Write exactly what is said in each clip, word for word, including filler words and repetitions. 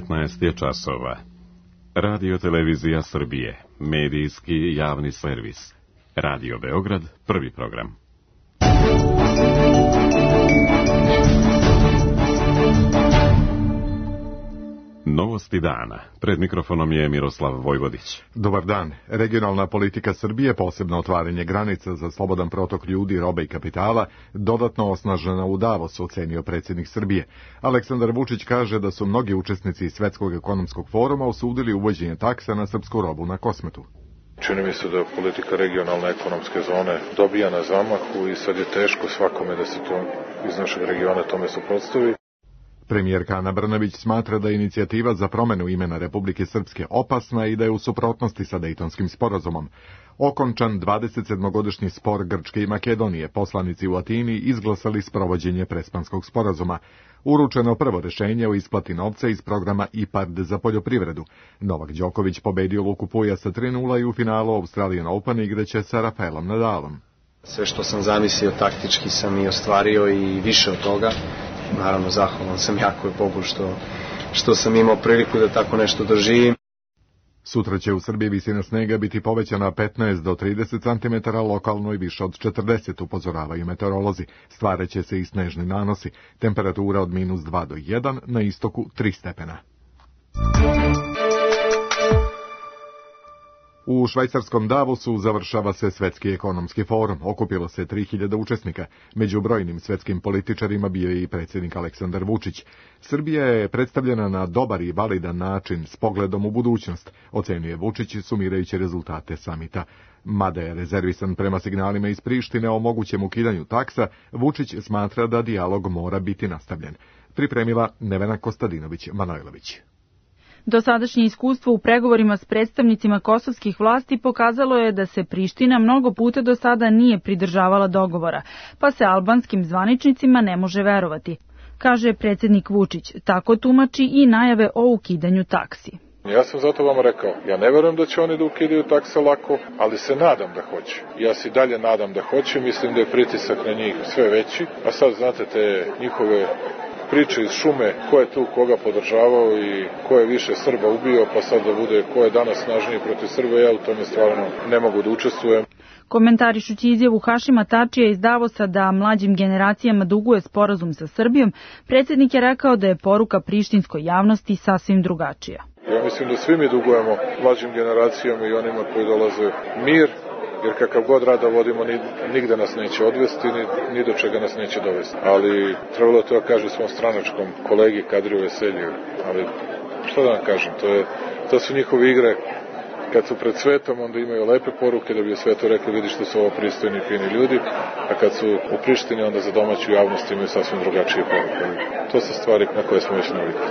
devetnaest je časova. Radio Televizija Srbije, medijski javni servis. Radio Beograd, prvi program. Novosti dana. Pred mikrofonom je Miroslav Vojvodić. Dobar dan. Regionalna politika Srbije, posebno otvaranje granica za slobodan protok ljudi, robe i kapitala, dodatno osnažena u Davosu, ocenio predsjednik Srbije. Aleksandar Vučić kaže da su mnogi učesnici Svetskog ekonomskog foruma osudili uvođenje taksa na srpsku robu na Kosmetu. Čini mi se da politika regionalne ekonomske zone dobija na zamahu i sad je teško svakome da se to iz našeg regiona tome suprotstavi. Premijerka Ana Brnabić smatra da je inicijativa za promjenu imena Republike Srpske opasna i da je u suprotnosti sa Dejtonskim sporazumom. Okončan dvadesetsedmogodišnji spor Grčke i Makedonije, poslanici u Atini izglasali sprovođenje Prespanskog sporazuma. Uručeno prvo rješenje o isplati novca iz programa I P A R D za poljoprivredu. Novak Đoković pobedio Luku Puja sa tri nula i u finalu Australian Open igraće sa Rafaelom Nadalom. Sve što sam zamislio taktički sam i ostvario i više od toga. Naravno, zahvalan sam jako Bogu što, što sam imao priliku da tako nešto doživim. Sutra će u Srbiji visina snega biti povećana petnaest do trideset centimetara, lokalno i više od četrdeset, upozoravaju meteorolozi. Stvaraće se i snežni nanosi. Temperatura od minus dva do jedan, na istoku tri stepena. U švajcarskom Davosu završava se Svetski ekonomski forum. Okupilo se tri hiljade učesnika. Među brojnim svetskim političarima bio je i predsjednik Aleksandar Vučić. Srbija je predstavljena na dobar i validan način s pogledom u budućnost, ocenjuje Vučić sumirajući rezultate samita. Mada je rezervisan prema signalima iz Prištine o mogućem ukidanju taksa, Vučić smatra da dijalog mora biti nastavljen. Pripremila Nevena Kostadinović-Manojlović. Dosadašnje iskustvo u pregovorima s predstavnicima kosovskih vlasti pokazalo je da se Priština mnogo puta do sada nije pridržavala dogovora, pa se albanskim zvaničnicima ne može verovati, kaže predsjednik Vučić. Tako tumači i najave o ukidanju taksi. Ja sam zato vam rekao, ja ne verujem da će oni da ukidaju takse lako, ali se nadam da hoće. Ja se dalje nadam da hoće, mislim da je pritisak na njih sve veći, a sad znate te njihove priče iz šume, ko je tu koga podržavao i ko je više Srba ubio, pa sad da bude ko je danas snažniji protiv Srba, ja u tome stvarno ne mogu da učestvujem. Komentarišući izjavu Hašima Tačija iz Davosa da mlađim generacijama duguje sporazum sa Srbijom, predsjednik je rekao da je poruka prištinskoj javnosti sasvim drugačija. Ja mislim da svi mi dugujemo mlađim generacijama i onima koji dolaze mir, jer kakav god rada vodimo, nigde nas neće odvesti, ni, ni do čega nas neće dovesti. Ali trebalo to da kaže svom stranačkom kolegi Kadriju Veselju. Ali što da vam kažem, to, je, to su njihove igre. Kad su pred svetom, onda imaju lepe poruke da bi u svetu rekli vidi što su ovo pristojni i fini ljudi, a kad su u Prištini, onda za domaću javnost imaju sasvim drugačije poruke. To su stvari na koje smo već navikli.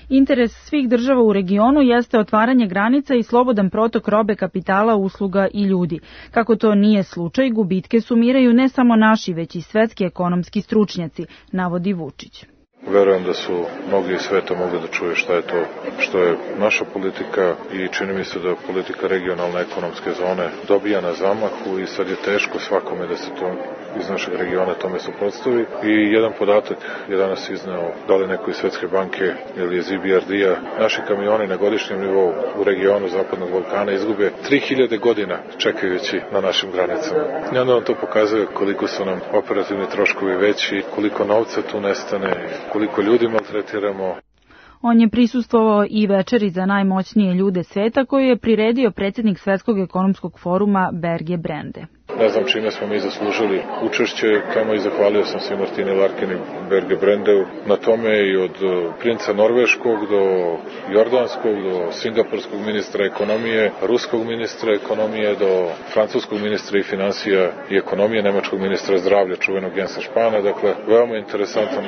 Interes svih država u regionu jeste otvaranje granica i slobodan protok robe, kapitala, usluga i ljudi. Kako to nije slučaj, gubitke sumiraju ne samo naši, već i svetski ekonomski stručnjaci, navodi Vučić. Verujem da su mnogi iz sveta mogli da čuje šta je to, što je naša politika i čini mi se da politika regionalne ekonomske zone dobija na zamahu i sad je teško svakome da se to iz našeg regiona tome suprotstavi. I jedan podatak je danas izneo, da li neko iz Svetske banke ili iz I B R D-a, naši kamioni na godišnjem nivou u regionu Zapadnog Balkana izgube tri hiljade godina čekajući na našim granicama. I onda vam to pokazuje koliko su nam operativni troškovi veći, koliko novca tu nestane, koliko ljudi maltretiramo. On je prisustvovao i večeri za najmoćnije ljude sveta koju je priredio predsjednik Svetskog ekonomskog foruma Berge Brende. Ne znam čime smo mi zaslužili učešće, kamo i zahvalio sam se Martini Larkin i Berge Brendeu na tome i od princa Norveškog do Jordanskog, do Singapurskog ministra ekonomije, Ruskog ministra ekonomije, do Francuskog ministra i financija i ekonomije, Nemačkog ministra zdravlja, čuvenog Jensa Špana. Dakle, veoma interesantan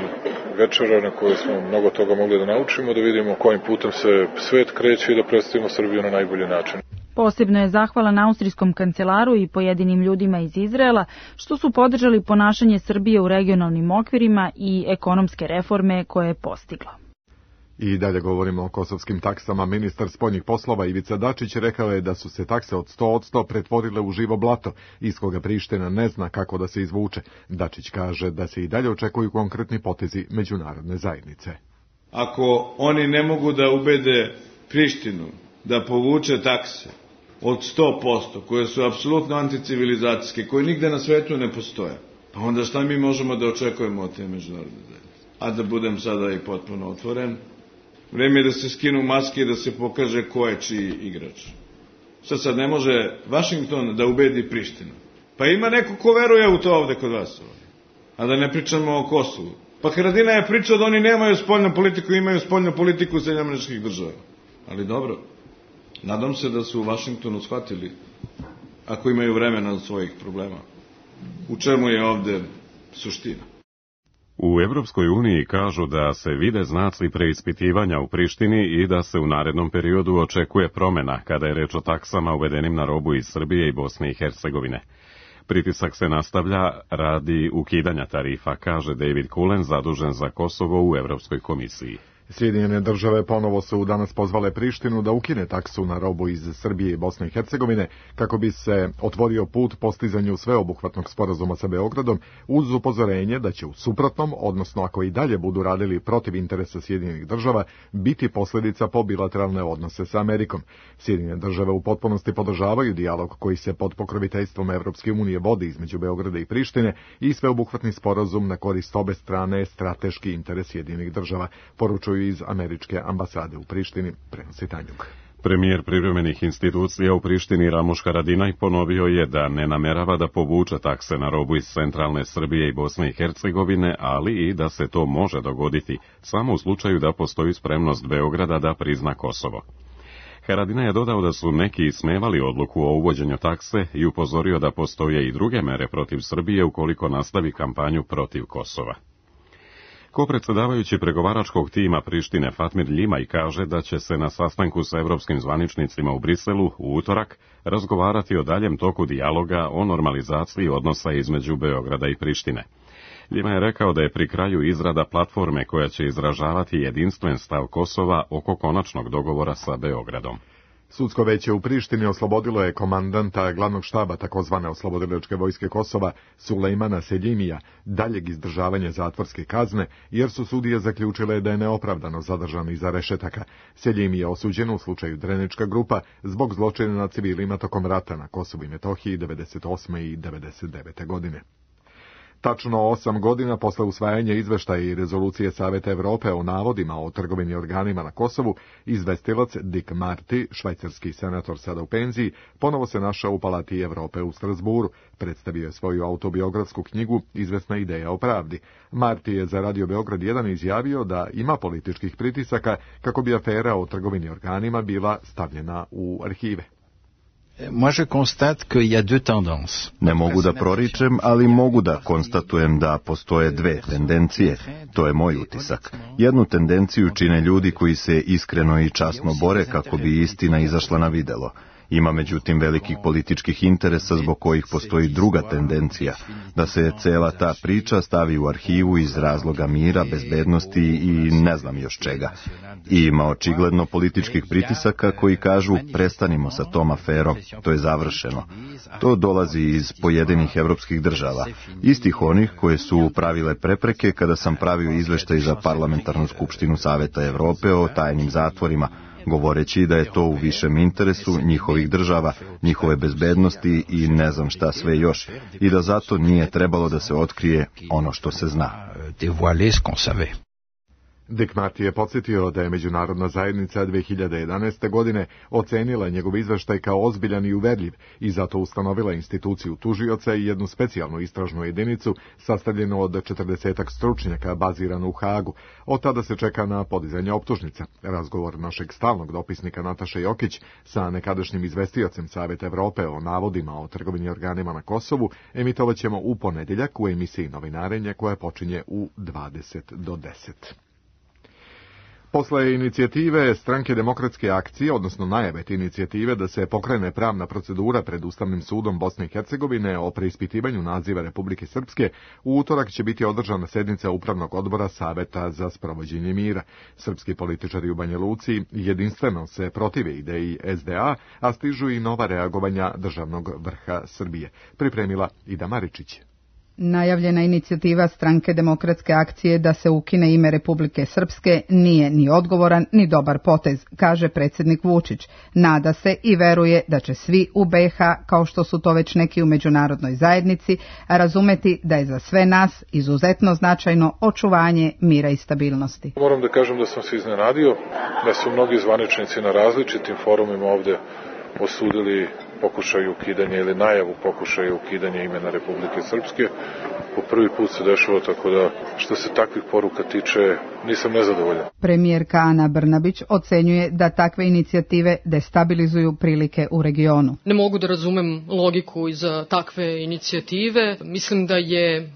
večera na kojoj smo mnogo toga mogli da naučimo, da vidimo kojim putem se svet kreće i da predstavimo Srbiju na najbolji način. Posebno je zahvalan austrijskom kancelaru i pojedinim ljudima iz Izraela što su podržali ponašanje Srbije u regionalnim okvirima i ekonomske reforme koje je postigla. I dalje govorimo o kosovskim taksama. Ministar spoljnih poslova Ivica Dačić rekao je da su se takse od sto posto pretvorile u živo blato, iz koga Priština ne zna kako da se izvuče. Dačić kaže da se i dalje očekuju konkretni potezi međunarodne zajednice. ako oni ne mogu da ubede Prištinu da povuče takse od sto posto, koje su apsolutno anticivilizacijske, koje nigde na svetu ne postoje, pa onda šta mi možemo da očekujemo od te međunarodne zajednice? A da budem sada i potpuno otvoren, vreme je da se skinu maske i da se pokaže ko je čiji igrač. Sad sad ne može Vašington da ubedi Prištinu. Pa ima neko ko veruje u to ovde kod vas ovde. A da ne pričamo o Kosovu. Pa Haradinaj je pričao da oni nemaju spoljnu politiku, imaju spoljnu politiku Sjedinjenih Američkih Država. Ali dobro, nadam se da su u Vašingtonu shvatili, ako imaju vremena od svojih problema, u čemu je ovde suština. U Evropskoj uniji kažu da se vide znaci preispitivanja u Prištini i da se u narednom periodu očekuje promena kada je reč o taksama uvedenim na robu iz Srbije i Bosne i Hercegovine. Pritisak se nastavlja radi ukidanja tarifa, kaže David Cullen, zadužen za Kosovo u Evropskoj komisiji. Sjedinjene države ponovo su danas pozvale Prištinu da ukine taksu na robu iz Srbije i Bosne i Hercegovine kako bi se otvorio put postizanju sveobuhvatnog sporazuma sa Beogradom uz upozorenje da će u suprotnom, odnosno ako i dalje budu radili protiv interesa Sjedinjenih država, biti posljedica po bilateralne odnose sa Amerikom. Sjedinjene države u potpunosti podržavaju dijalog koji se pod pokroviteljstvom Evropske unije vodi između Beograda i Prištine i sveobuhvatni sporazum na korist obe strane strateški interes Sjedinjenih država, poručuju iz američke ambasade u Prištini, prenosi Tanjug. Premijer privremenih institucija u Prištini Ramuš Haradinaj ponovio je da ne namerava da povuče takse na robu iz centralne Srbije i Bosne i Hercegovine, ali i da se to može dogoditi samo u slučaju da postoji spremnost Beograda da prizna Kosovo. Haradinaj je dodao da su neki ismevali odluku o uvođenju takse i upozorio da postoje i druge mere protiv Srbije ukoliko nastavi kampanju protiv Kosova. Kopredsedavajući pregovaračkog tima Prištine Fatmir Ljimaj kaže da će se na sastanku sa evropskim zvaničnicima u Briselu u utorak razgovarati o daljem toku dijaloga o normalizaciji odnosa između Beograda i Prištine. Ljimaj je rekao da je pri kraju izrada platforme koja će izražavati jedinstven stav Kosova oko konačnog dogovora sa Beogradom. Sudsko veće u Prištini oslobodilo je komandanta glavnog štaba takozvane oslobodilačke vojske Kosova Sulejmana Seljimija daljeg izdržavanja zatvorske kazne, jer su sudije zaključile da je neopravdano zadržan iza rešetaka. Seljimi je osuđen u slučaju Drenička grupa zbog zločina nad civilima tokom rata na Kosovu i Metohiji devedeset osme i devedeset devete godine. Tačno osam godina posle usvajanja izveštaja i rezolucije Saveta Evrope o navodima o trgovini organima na Kosovu, izvestilac Dick Marty, švajcarski senator sada u penziji, ponovo se našao u Palati Evrope u Strasburu. Predstavio je svoju autobiografsku knjigu Izvesna ideja o pravdi. Marty je za Radio Beograd jedan izjavio da ima političkih pritisaka kako bi afera o trgovini organima bila stavljena u arhive. Ne mogu da proričem, ali mogu da konstatujem da postoje dve tendencije. To je moj utisak. Jednu tendenciju čine ljudi koji se iskreno i časno bore kako bi istina izašla na videlo. Ima međutim velikih političkih interesa zbog kojih postoji druga tendencija, da se cela ta priča stavi u arhivu iz razloga mira, bezbednosti i ne znam još čega. I ima očigledno političkih pritisaka koji kažu prestanimo sa tom aferom, to je završeno. To dolazi iz pojedinih evropskih država, istih onih koje su pravile prepreke kada sam pravio izveštaj za Parlamentarnu skupštinu Saveta Evrope o tajnim zatvorima, govoreći da je to u višem interesu njihovih država, njihove bezbednosti i ne znam šta sve još, i da zato nije trebalo da se otkrije ono što se zna. Dick Marty je podsjetio da je međunarodna zajednica dve hiljade jedanaeste. godine ocenila njegov izveštaj kao ozbiljan i uverljiv i zato ustanovila instituciju tužioca i jednu specijalnu istražnu jedinicu sastavljenu od četrdesetak stručnjaka baziranu u Hagu. Od tada se čeka na podizanje optužnica. Razgovor našeg stalnog dopisnika Nataše Jokić sa nekadašnjim izvestiocem Saveta Evrope o navodima o trgovini organima na Kosovu emitovat ćemo u ponedjeljak u emisiji Novinarenje koja počinje u dvadeset do deset. Posle inicijative Stranke demokratske akcije, odnosno najave te inicijative da se pokrene pravna procedura pred Ustavnim sudom Bosne i Hercegovine o preispitivanju naziva Republike Srpske, u utorak će biti održana sednica Upravnog odbora Saveta za sprovođenje mira. Srpski političari u Banja Luci jedinstveno se protive ideji S D A, a stižu i nova reagovanja državnog vrha Srbije. Pripremila Ida Maričić. Najavljena inicijativa Stranke demokratske akcije da se ukine ime Republike Srpske nije ni odgovoran ni dobar potez, kaže predsjednik Vučić. Nada se i veruje da će svi u be ha, kao što su to već neki u međunarodnoj zajednici, razumeti da je za sve nas izuzetno značajno očuvanje mira i stabilnosti. Moram da kažem da sam se iznenadio da su mnogi zvaničnici na različitim forumima ovde osudili pokušaj ukidanja ili najavu pokušaja ukidanja imena Republike Srpske. Po prvi put se dešava, tako da što se takvih poruka tiče nisam nezadovoljan. Premijerka Ana Brnabić ocenjuje da takve inicijative destabilizuju prilike u regionu. Ne mogu da razumem logiku iza takve inicijative. Mislim da je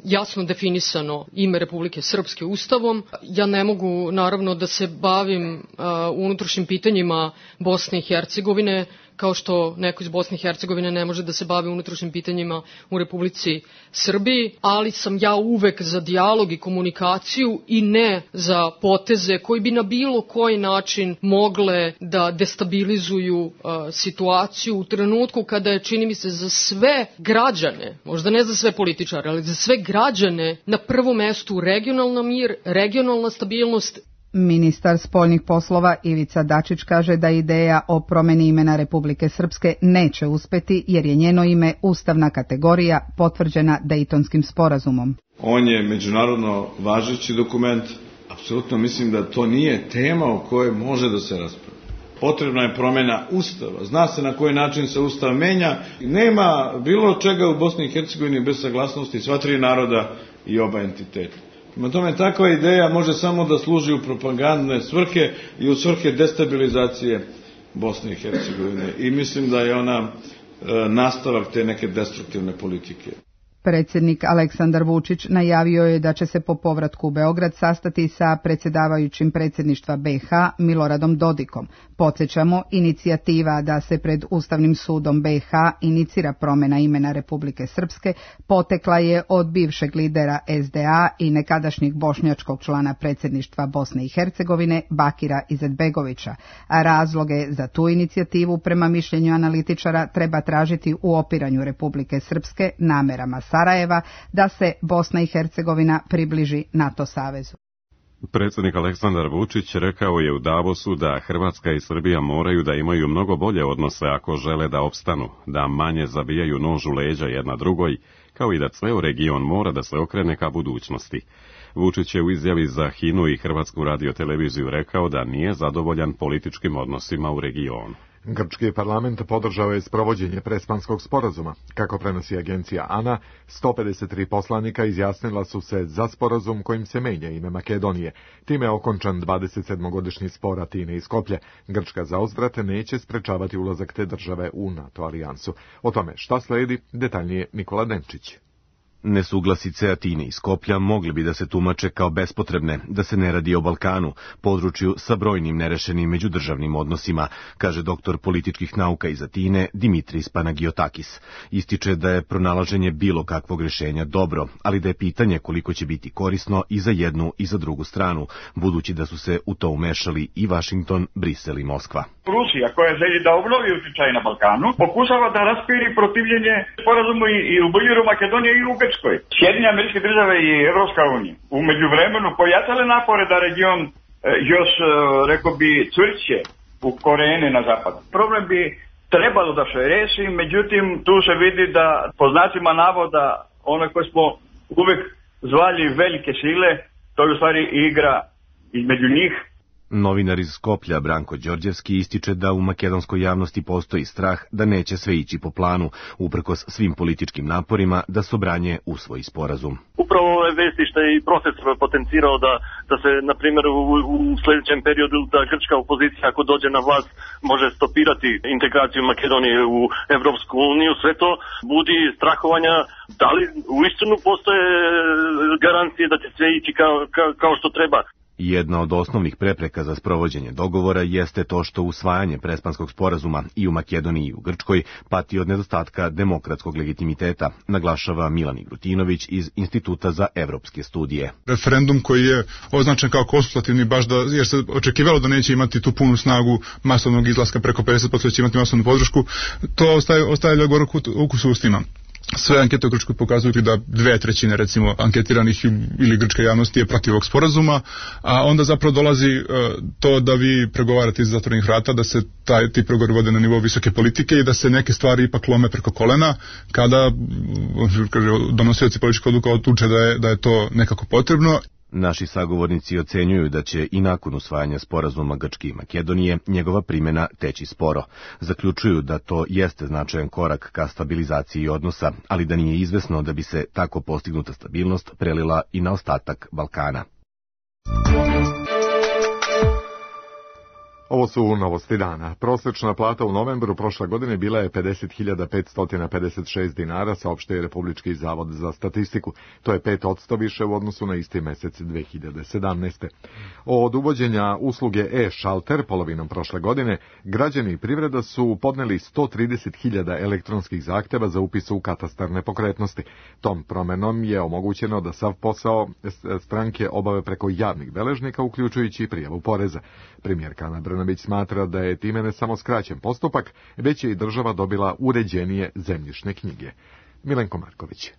jasno definisano ime Republike Srpske Ustavom. Ja ne mogu naravno da se bavim uh, unutrašnjim pitanjima Bosne i Hercegovine, kao što neko iz Bosne i Hercegovine ne može da se bavi unutrašnjim pitanjima u Republici Srbiji, ali sam ja uvek za dijalog i komunikaciju i ne za poteze koji bi na bilo koji način mogle da destabilizuju uh, situaciju u trenutku kada je, čini mi se, za sve građane, možda ne za sve političare, ali za sve građane na prvom mestu regionalna mir, regionalna stabilnost. Ministar spoljnih poslova Ivica Dačić kaže da ideja o promjeni imena Republike Srpske neće uspeti jer je njeno ime ustavna kategorija potvrđena Dejtonskim sporazumom. On je međunarodno važeći dokument. Apsolutno mislim da to nije tema o kojoj može da se raspravlja. Potrebna je promjena Ustava. Zna se na koji način se Ustav menja. Nema bilo čega u Bosni i Hercegovini bez saglasnosti sva tri naroda i oba entiteta. Prema tome, takva ideja može samo da služi u propagandne svrhe i u svrhe destabilizacije Bosne i Hercegovine. I mislim da je ona e, nastavak te neke destruktivne politike. Predsjednik Aleksandar Vučić najavio je da će se po povratku u Beograd sastati sa predsjedavajućim predsjedništva be ha Miloradom Dodikom. Podsjećamo, inicijativa da se pred Ustavnim sudom be ha inicira promjena imena Republike Srpske potekla je od bivšeg lidera es de a i nekadašnjeg bošnjačkog člana predsjedništva Bosne i Hercegovine Bakira Izetbegovića. A razloge za tu inicijativu prema mišljenju analitičara treba tražiti u opiranju Republike Srpske namerama Sarajeva da se Bosna i Hercegovina približi NATO savezu. Predsjednik Aleksandar Vučić rekao je u Davosu da Hrvatska i Srbija moraju da imaju mnogo bolje odnose ako žele da opstanu, da manje zabijaju nož u leđa jedna drugoj, kao i da ceo region mora da se okrene ka budućnosti. Vučić je u izjavi za H I N U i Hrvatsku radioteleviziju rekao da nije zadovoljan političkim odnosima u regionu. Grčki parlament podržao je sprovođenje Prespanskog sporazuma. Kako prenosi agencija ANA, sto pedeset tri poslanika izjasnila su se za sporazum kojim se menja ime Makedonije. Time je okončan dvadesetsedmogodišnji spor Atine i Skoplja. Grčka zauzvrat neće sprečavati ulazak te države u NATO alijansu. O tome šta sledi, detaljnije Nikola Denčić. Nesuglasice Atine i Skoplja mogli bi da se tumače kao bespotrebne, da se ne radi o Balkanu, području sa brojnim nerešenim međudržavnim odnosima, kaže doktor političkih nauka iz Atine Dimitris Panagiotakis. Ističe da je pronalaženje bilo kakvog rješenja dobro, ali da je pitanje koliko će biti korisno i za jednu i za drugu stranu, budući da su se u to umešali i Vašington, Brisel i Moskva. Rusija, koja želi da obnovi utjecaj na Balkanu, pokušava da raspiri protivljenje sporazumu i u Bujiru, Makedonije i u Grčkoj. Sjedinjene Američke Države i Evropska unija u međuvremenu pojačale napore da region još, rekao bi, čvršće u korene na zapadu. Problem bi trebalo da se reši, međutim tu se vidi da po znacima navoda one koje smo uvek zvali velike sile, to je u stvari igra između njih. Novinar iz Skoplja Branko Đorđevski ističe da u makedonskoj javnosti postoji strah da neće sve ići po planu, uprkos svim političkim naporima da Sobranje usvoji sporazum. Upravo ove vesti što je i proces potencirao da, da se, na primjer, u, u sljedećem periodu da grčka opozicija ako dođe na vlast može stopirati integraciju Makedonije u Evropsku uniju, sve to budi strahovanja da li uistinu postoje garancije da će sve ići kao, kao, kao što treba. Jedna od osnovnih prepreka za sprovođenje dogovora jeste to što usvajanje Prespanskog sporazuma i u Makedoniji i u Grčkoj pati od nedostatka demokratskog legitimiteta, naglašava Milan Igrutinović iz Instituta za evropske studije. Referendum koji je označen kao konsultativni baš da, jer se očekivalo da neće imati tu punu snagu masovnog izlaska preko pedeset posto će imati masovnu podršku, to ostaje, ostaje gorak ukus u ustima. sve ankete u Grčkoj pokazuju da dve trećine recimo anketiranih ili grčka javnosti je protiv ovog sporazuma, a onda zapravo dolazi uh, to da vi pregovarate iz zatvorenih vrata, da se taj, ti pregovori vode na nivou visoke politike i da se neke stvari ipak lome preko kolena kada kaže, donosioci političkih odluka odluče da je, da je to nekako potrebno. Naši sagovornici ocenjuju da će i nakon usvajanja sporazuma Grčke i Makedonije njegova primjena teći sporo. Zaključuju da to jeste značajan korak ka stabilizaciji odnosa, ali da nije izvesno da bi se tako postignuta stabilnost prelila i na ostatak Balkana. Ovo su novosti dana. Prosječna plata u novembru prošle godine bila je pedeset hiljada petsto pedeset šest dinara, saopštio je Republički zavod za statistiku. To je pet posto više u odnosu na isti mesec dve hiljade sedamnaeste. Od uvođenja usluge e-šalter polovinom prošle godine, građani i privreda su podneli sto trideset hiljada elektronskih zahteva za upis u katastar nepokretnosti. Tom promenom je omogućeno da sav posao stranke obave preko javnih beležnika, uključujući i prijavu poreza. Premijerka Ana Brnabić smatra da je time ne samo skraćen postupak, već je i država dobila uređenije zemljišne knjige. Milenko Marković.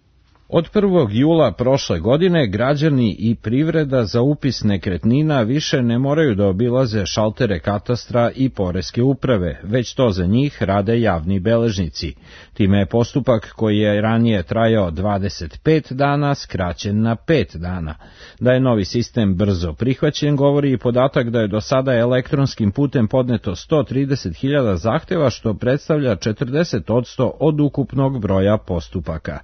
Od prvog jula prošle godine građani i privreda za upis nekretnina više ne moraju da obilaze šaltere katastra i poreske uprave, već to za njih rade javni beležnici. Time je postupak koji je ranije trajao dvadeset pet dana skraćen na pet dana. Da je novi sistem brzo prihvaćen govori i podatak da je do sada elektronskim putem podneto sto trideset hiljada zahteva, što predstavlja četrdeset posto od ukupnog broja postupaka.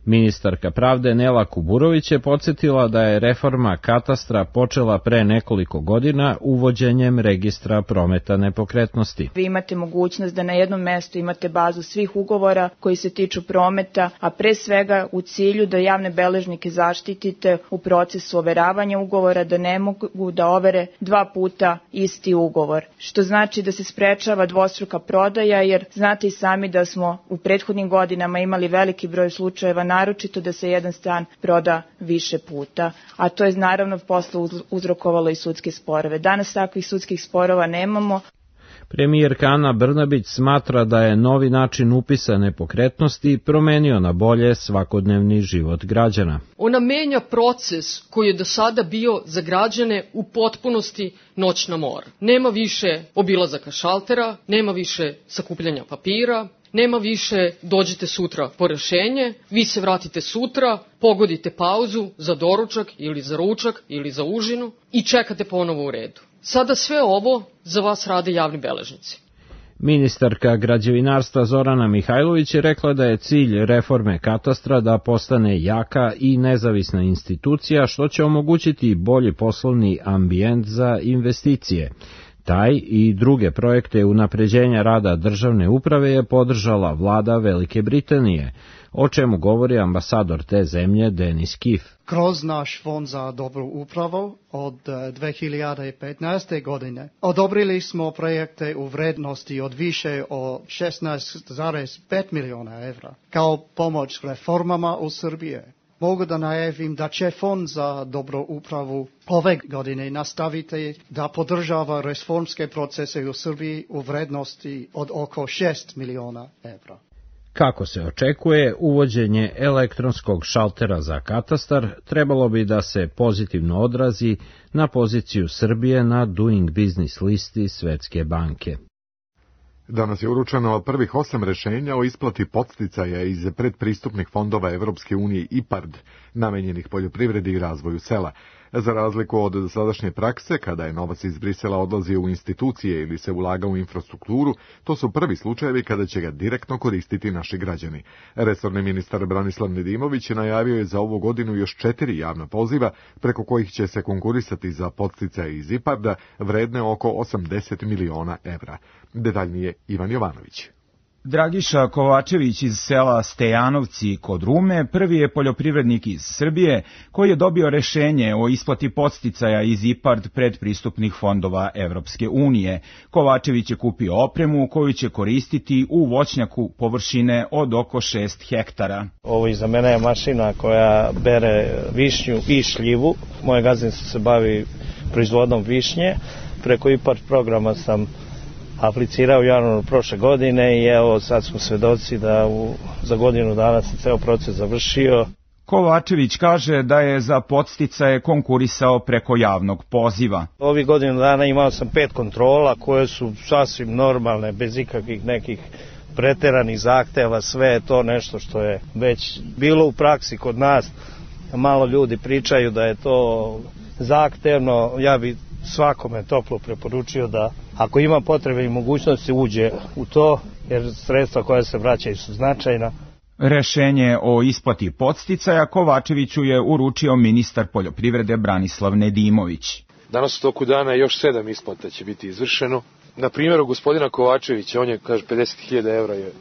Ministarka pravde Nela Kuburović je podsjetila da je reforma katastra počela pre nekoliko godina uvođenjem registra prometa nepokretnosti. Vi imate mogućnost da na jednom mestu imate bazu svih ugovora koji se tiču prometa, a pre svega u cilju da javne beležnike zaštitite u procesu overavanja ugovora, da ne mogu da overe dva puta isti ugovor, što znači da se sprečava dvostruka prodaja, jer znate i sami da smo u prethodnim godinama imali veliki broj slučajeva, naročito da se jedan stan proda više puta, a to je naravno posle uzrokovalo i sudske sporove. Danas takvih sudskih sporova nemamo. Premijerka Ana Brnabić smatra da je novi način upisa nepokretnosti promenio na bolje svakodnevni život građana. Ona menja proces koji je do sada bio za građane u potpunosti noćna mora. Nema više obilazaka šaltera, nema više sakupljanja papira, nema više dođite sutra po rešenje, vi se vratite sutra, pogodite pauzu za doručak ili za ručak ili za užinu i čekate ponovo u redu. Sada sve ovo za vas rade javni beležnici. Ministarka građevinarstva Zorana Mihajlović je rekla da je cilj reforme katastra da postane jaka i nezavisna institucija, što će omogućiti bolji poslovni ambijent za investicije. Taj i druge projekte unapređenja rada državne uprave je podržala vlada Velike Britanije, o čemu govori ambasador te zemlje Denis Kif. Kroz naš fond za dobru upravu od dve hiljade petnaeste. godine odobrili smo projekte u vrednosti od više od šesnaest zarez pet miliona evra kao pomoć reformama u Srbiji. Mogu da najavim da će Fond za dobru upravu ove godine nastaviti da podržava reformske procese u Srbiji u vrednosti od oko šest miliona evra. Kako se očekuje, uvođenje elektronskog šaltera za katastar trebalo bi da se pozitivno odrazi na poziciju Srbije na Doing Business listi Svetske banke. Danas je uručeno prvih osam rešenja o isplati podsticaja iz predpristupnih fondova Evropske unije I P A R D, namenjenih poljoprivredi i razvoju sela. Za razliku od sadašnje prakse, kada je novac iz Brisela odlazio u institucije ili se ulagao u infrastrukturu, to su prvi slučajevi kada će ga direktno koristiti naši građani. Resorni ministar Branislav Nedimović najavio je za ovu godinu još četiri javna poziva, preko kojih će se konkurisati za podsticaje iz I P A R D-a vredne oko osamdeset miliona evra. Detaljnije Ivan Jovanović. Dragiša Kovačević iz sela Stejanovci kod Rume prvi je poljoprivrednik iz Srbije koji je dobio rešenje o isplati podsticaja iz I P A R D predpristupnih fondova Evropske unije. Kovačević je kupio opremu koju će koristiti u voćnjaku površine od oko šest hektara. Ovo iza mene je mašina koja bere višnju i šljivu. Moje gazdinstvo se bavi proizvodom višnje. Preko I P A R D programa sam aplicirao u januaru prošle godine i evo sad smo svedoci da u, za godinu dana se ceo proces završio. Kovačević kaže da je za podsticaje konkurisao preko javnog poziva. Ovih godinu dana imao sam pet kontrola koje su sasvim normalne, bez ikakvih nekih preteranih zahteva, sve je to nešto što je već bilo u praksi kod nas. Malo ljudi pričaju da je to zahtevno, ja bi svakome toplo preporučio da ako ima potrebe i mogućnosti uđe u to, jer sredstva koja se vraćaju su značajna. Rešenje o isplati podsticaja Kovačeviću je uručio ministar poljoprivrede Branislav Nedimović. Danas u toku dana još sedam isplata će biti izvršeno. Na primjeru gospodina Kovačevića, on je, kaže, pedeset hiljada evra je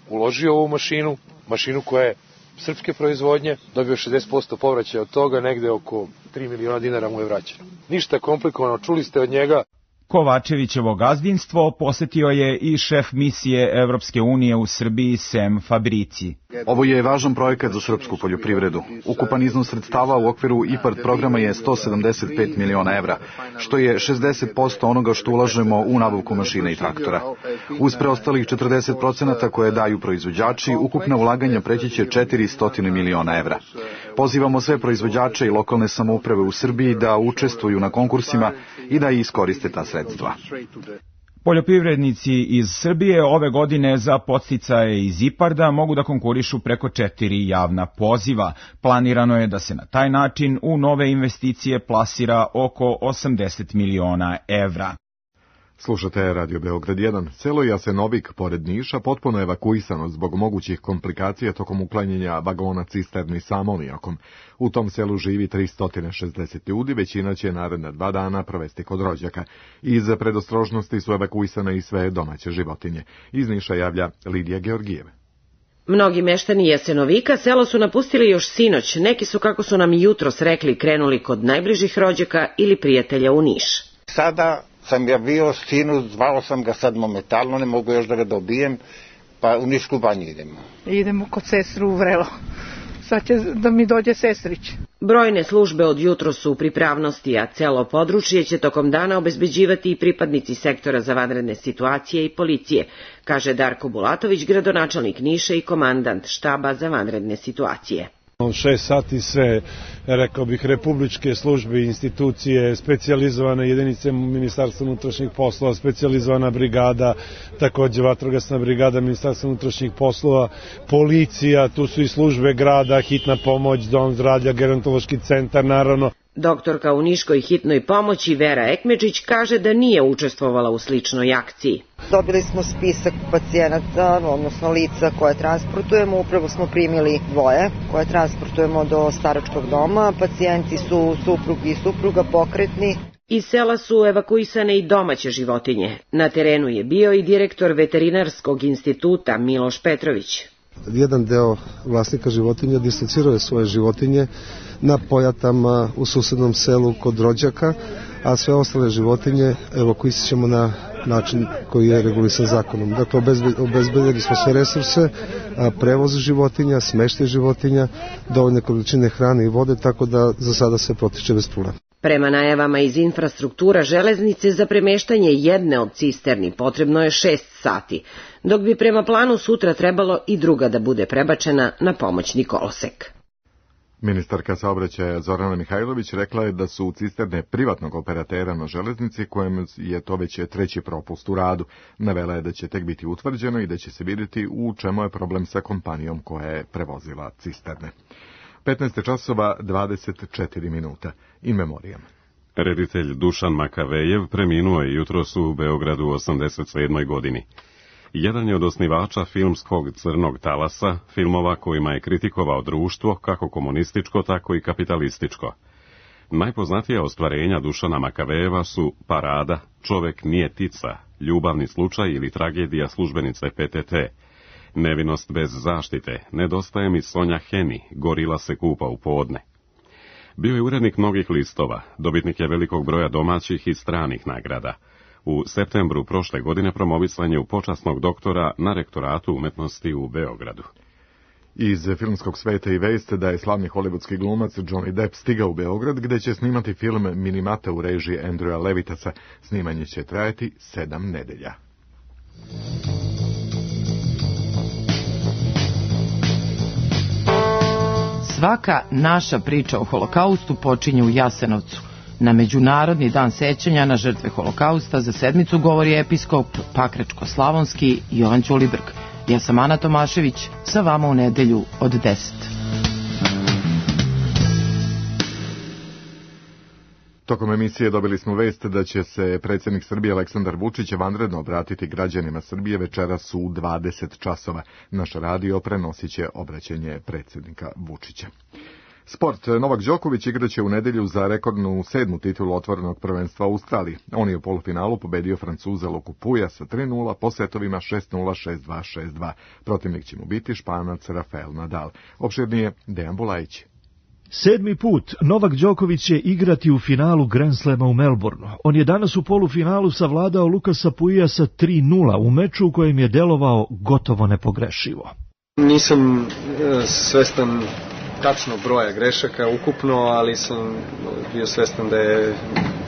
uložio u ovu mašinu, mašinu koja je srpske proizvodnje, dobio šezdeset posto povraćaja od toga, negde oko tri miliona dinara mu je vraćeno. Ništa komplikovano, čuli ste od njega. Kovačevićevo gazdinstvo posetio je i šef misije Evropske unije u Srbiji Sem Fabrici. Ovo je važan projekat za srpsku poljoprivredu. Ukupan iznos sredstava u okviru IPARD programa je sto sedamdeset pet miliona evra, što je šezdeset posto onoga što ulažemo u nabavku mašina i traktora. Uz preostalih četrdeset posto koje daju proizvođači, ukupna ulaganja preći će četiristo miliona evra. Pozivamo sve proizvođače i lokalne samouprave u Srbiji da učestvuju na konkursima i da iskoriste ta sredstva. Poljoprivrednici iz Srbije ove godine za podsticaje iz IPARD-a mogu da konkurišu preko četiri javna poziva. Planirano je da se na taj način u nove investicije plasira oko osamdeset miliona evra. Slušate Radio Beograd jedan. Selo Jasenovik, pored Niša, potpuno evakuisano zbog mogućih komplikacija tokom uklanjanja vagona cisterni sa amonijakom. U tom selu živi tristo šezdeset ljudi, većina će naredna dva dana provesti kod rođaka. Iz predostrožnosti su evakuisane i sve domaće životinje. Iz Niša javlja Lidija Georgijeva. Mnogi meštani Jasenovika selo su napustili još sinoć. Neki su, kako su nam jutros rekli, krenuli kod najbližih rođaka ili prijatelja u Niš. Sada sam ja bio sinu, zvao sam ga sad momentalno, ne mogu još da ga dobijem, pa u Nišku banju idemo. Idemo kod sestru u Vrelo. Sad će da mi dođe sestrić. Brojne službe od jutro su u pripravnosti, a celo područje će tokom dana obezbeđivati i pripadnici sektora za vanredne situacije i policije, kaže Darko Bulatović, gradonačelnik Niša i komandant štaba za vanredne situacije. Šest sati sve, rekao bih, republičke službe, institucije, specijalizovane jedinice Ministarstva unutrašnjih poslova, specijalizovana brigada, takođe vatrogasna brigada Ministarstva unutrašnjih poslova, policija, tu su i službe grada, hitna pomoć, dom zdravlja, gerontološki centar, naravno. Doktorka u Niškoj hitnoj pomoći Vera Ekmedžić kaže da nije učestvovala u sličnoj akciji. Dobili smo spisak pacijenata, odnosno lica koje transportujemo. Upravo smo primili dvoje koje transportujemo do staračkog doma. Pacijenti su suprug i supruga, pokretni. Iz sela su evakuisane i domaće životinje. Na terenu je bio i direktor veterinarskog instituta Miloš Petrović. Jedan deo vlasnika životinja distancirao je svoje životinje na pojatama u susednom selu kod rođaka, a sve ostale životinje evakuisat ćemo na način koji je regulisan zakonom. Dakle, obezbedili smo sve resurse, prevoz životinja, smeštaj životinja, dovoljne količine hrane i vode, tako da za sada se protiče bez problema. Prema najavama iz infrastruktura železnice za premeštanje jedne od cisterni potrebno je šest sati, dok bi prema planu sutra trebalo i druga da bude prebačena na pomoćni kolosek. Ministarka saobraćaja Zorana Mihajlović rekla je da su cisterne privatnog operatera na železnici, kojem je to već treći propust u radu. Navela je da će tek biti utvrđeno i da će se vidjeti u čemu je problem sa kompanijom koja je prevozila cisterne. petnaest časova dvadeset četiri minuta. In memoriam. Reditelj Dušan Makavejev preminuo je jutros u Beogradu u osamdeset sedmoj godini. Jedan je od osnivača filmskog Crnog talasa, filmova kojima je kritikovao društvo, kako komunističko, tako i kapitalističko. Najpoznatija ostvarenja Dušana Makavejeva su Parada, Čovek nije tica, Ljubavni slučaj ili Tragedija službenice P T T, Nevinost bez zaštite, Nedostaje mi Sonja Heni, Gorila se kupa u podne. Bio je urednik mnogih listova, dobitnik je velikog broja domaćih i stranih nagrada. U septembru prošle godine promovisan je u počasnog doktora na rektoratu umetnosti u Beogradu. Iz filmskog sveta i vest da je slavni hollywoodski glumac Johnny Depp stigao u Beograd, gde će snimati film Minimata u režiji Andrewa Levitasa. Snimanje će trajati sedam nedelja. Svaka naša priča o holokaustu počinje u Jasenovcu. Na Međunarodni dan sećanja na žrtve holokausta za sedmicu govori episkop Pakračko-Slavonski Jovan Ćulibrk. Ja sam Ana Tomašević, sa vama u nedelju od deset. Tokom emisije dobili smo vest da će se predsjednik Srbije Aleksandar Vučić vanredno obratiti građanima Srbije večeras u dvadeset časova. Naš radio prenosit će obraćanje predsjednika Vučića. Sport. Novak Đoković igraće u nedelju za rekordnu sedmu titulu otvorenog prvenstva u Australiji. On je u polufinalu pobedio Francuza Luku Puja sa tri nula po setovima šest nula, šest dva, šest dva. Protivnik će mu biti Španac Rafael Nadal. Opširnije Dejan Bulajić. Sedmi put Novak Đoković će igrati u finalu Grand Slama u Melbourneu. On je danas u polufinalu savladao Lukasa Puija sa tri nula u meču u kojem je delovao gotovo nepogrešivo. Nisam svestan tačno broja grešaka ukupno, ali sam bio svestan da je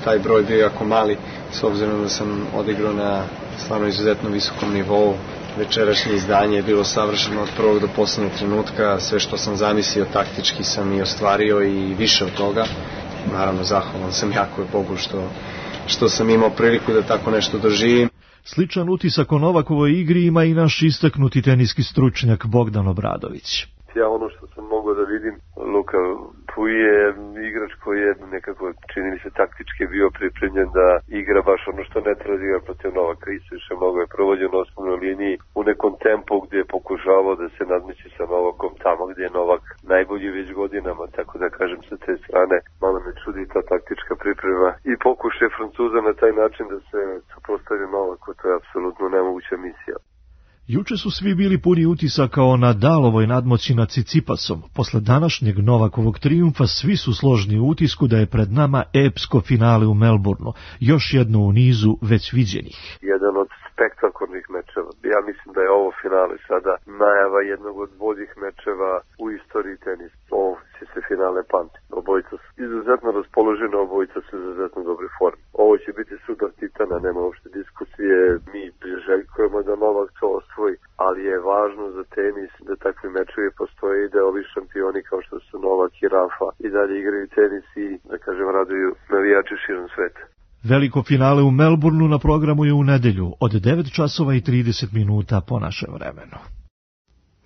taj broj bio jako mali, s obzirom da sam odigrao na stvarno izuzetno visokom nivou. Večerašnje izdanje je bilo savršeno od prvog do posljednjeg trenutka, sve što sam zamislio taktički sam i ostvario i više od toga. Naravno, zahvalan sam jako Bogu što, što sam imao priliku da tako nešto doživim. Sličan utisak o Novakovoj igri ima i naš istaknuti teniski stručnjak Bogdan Obradović. Ja ono što sam mogao da vidim, Luka Puj je igrač koji je nekako, čini mi se, taktički bio pripremljen da igra baš ono što ne treba da igra protiv Novaka. Isviše mnogo je provođen na osnovnoj liniji u nekom tempu gdje je pokušavao da se nadmeći sa Novakom tamo gdje je Novak najbolji već godinama, tako da kažem sa te strane malo me čudi ta taktička priprema i pokušaj Francuza na taj način da se suprotstavi Novaku, to je apsolutno nemoguća misija. Juče su svi bili puni utisaka o Nadalovoj nadmoći nad Cicipasom. Posle današnjeg Novakovog trijumfa svi su složni u utisku da je pred nama epsko finale u Melbourneu, još jedno u nizu već viđenih. Jedan od spektakularnih mečeva. Ja mislim da je ovo finale sada najava jednog od boljih mečeva u istoriji tenisa. Ovo će se finale pamti. Obojica su izuzetno raspoloženi, obojica su izuzetno dobre forme. Ovo će biti sudar titana, nema uopšte diskusije. Mi priželjkujemo da Novak to osvoji, ali je važno za tenis da takvi mečevi postoje i da ovi šampioni kao što su Novak i Rafa i dalje igraju tenis i, da kažem, raduju navijači širom sveta. Veliko finale u Melbourneu na programu je u nedelju od devet časova i trideset minuta po našem vremenu.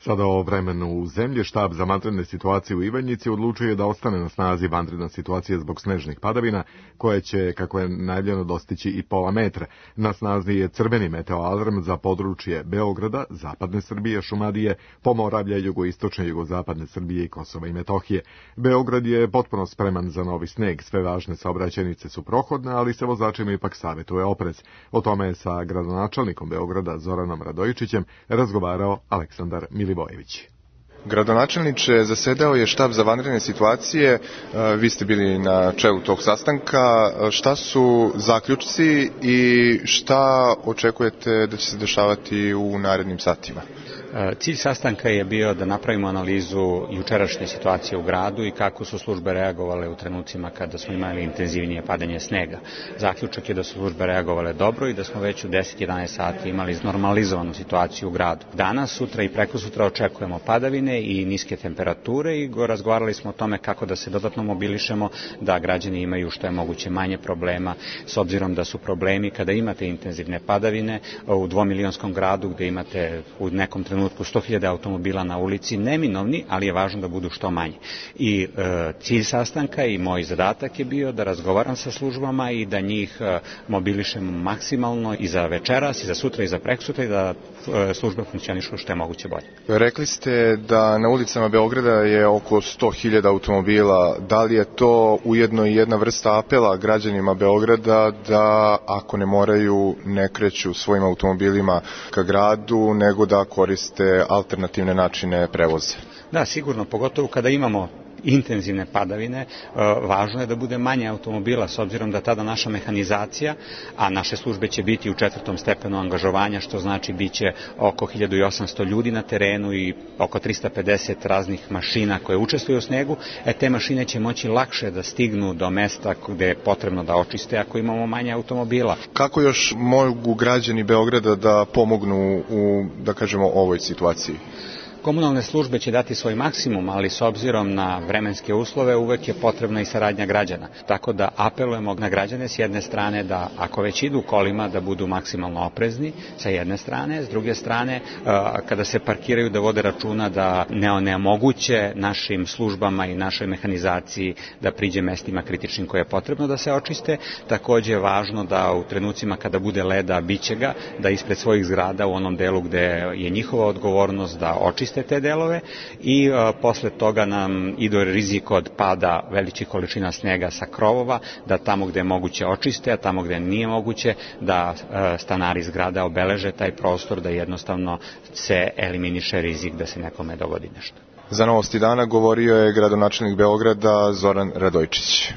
Sada o vremenu u zemlji. Štab za vanredne situacije u Ivanjici odlučuje da ostane na snazi vanredna situacija zbog snežnih padavina, koje će, kako je najavljeno, dostići i pola metra. Na snazi je crveni meteoalarm za područje Beograda, zapadne Srbije, Šumadije, Pomoravlja, jugoistočne i jugozapadne Srbije i Kosova i Metohije. Beograd je potpuno spreman za novi sneg. Sve važne saobraćajnice su prohodne, ali se vozačima ipak savjetuje oprez. O tome je sa gradonačelnikom Beograda Zoranom Radojičićem razgovarao Aleksandar Milivojević. Gradonačelniče, zasedao je štab za vanredne situacije, vi ste bili na čelu tog sastanka. Šta su zaključci i šta očekujete da će se dešavati u narednim satima? Cilj sastanka je bio da napravimo analizu jučerašnje situacije u gradu i kako su službe reagovale u trenucima kada smo imali intenzivnije padanje snega. Zaključak je da su službe reagovale dobro i da smo već u deset jedanaest sati imali normalizovanu situaciju u gradu. Danas, sutra i prekosutra očekujemo padavine i niske temperature i razgovarali smo o tome kako da se dodatno mobilišemo, da građani imaju što je moguće manje problema, s obzirom da su problemi kada imate intenzivne padavine u dvomilionskom gradu gde imate u nekom trenutku sto hiljada automobila na ulici neminovni, ali je važno da budu što manje. I e, cilj sastanka i moj zadatak je bio da razgovaram sa službama i da njih e, mobilišemo maksimalno i za večeras, i za sutra, i za preksutra i da e, službe funkcionišu što je moguće bolje. Rekli ste da na ulicama Beograda je oko sto hiljada automobila. Da li je to ujedno i jedna vrsta apela građanima Beograda da ako ne moraju ne kreću svojim automobilima ka gradu, nego da koriste alternativne načine prevoza? Da, sigurno, pogotovo kada imamo intenzivne padavine, važno je da bude manje automobila, s obzirom da tada naša mehanizacija, a naše službe će biti u četvrtom stepenu angažovanja, što znači bit će oko hiljadu osamsto ljudi na terenu i oko trista pedeset raznih mašina koje učestvuju u snegu, e te mašine će moći lakše da stignu do mesta gde je potrebno da očiste ako imamo manje automobila. Kako još mogu građani Beograda da pomognu u, da kažemo, ovoj situaciji? Komunalne službe će dati svoj maksimum, ali s obzirom na vremenske uslove uvek je potrebna i saradnja građana. Tako da apelujemo na građane s jedne strane da ako već idu kolima da budu maksimalno oprezni sa jedne strane, s druge strane kada se parkiraju da vode računa da ne onemoguće našim službama i našoj mehanizaciji da priđe mestima kritičnim koje je potrebno da se očiste. Takođe je važno da u trenucima kada bude leda, biće ga, da ispred svojih zgrada u onom delu gde je njihova odgovornost da očiste te delove i a, posle toga nam ide rizik od pada velikih količina snega sa krovova, da tamo gde je moguće očiste, a tamo gde nije moguće da a, stanari zgrada obeleže taj prostor, da jednostavno se eliminiše rizik da se nekome dogodi nešto. Za Novosti dana govorio je gradonačelnik Beograda Zoran Radojčić.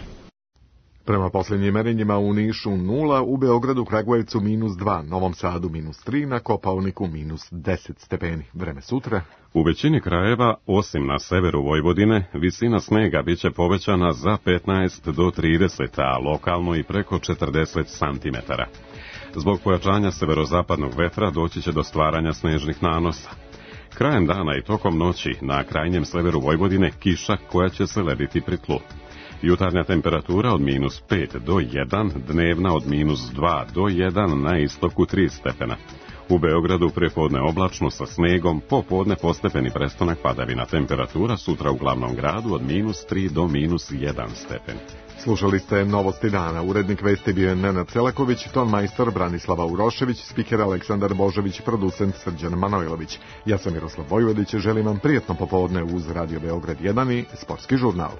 Prema posljednjim merenjima u Nišu nula, u Beogradu, Kragujevcu minus dva, Novom Sadu minus tri, na Kopaoniku minus deset stepeni. Vreme sutra. U većini krajeva, osim na severu Vojvodine, visina snega biće povećana za petnaest do trideset, a lokalno i preko četrdeset santimetara. Zbog pojačanja severozapadnog vetra doći će do stvaranja snežnih nanosa. Krajem dana i tokom noći na krajnjem severu Vojvodine kiša koja će se lediti pri tlu. Jutarnja temperatura od minus pet do jedan, dnevna od minus dva do jedan, na istoku tri stepena. U Beogradu prepodne oblačno sa snegom, popodne postepeni prestanak padavina. Temperatura sutra u glavnom gradu od minus tri do minus jedan stepen. Slušali ste Novosti dana. Urednik vesti bio je Nenad Selaković, ton majstor Branislava Urošević, spiker Aleksandar Božović, producent Srđan Manojlović. Ja sam Miroslav Vojvodić, želim vam prijetno popodne uz Radio Beograd jedan i Sportski žurnal.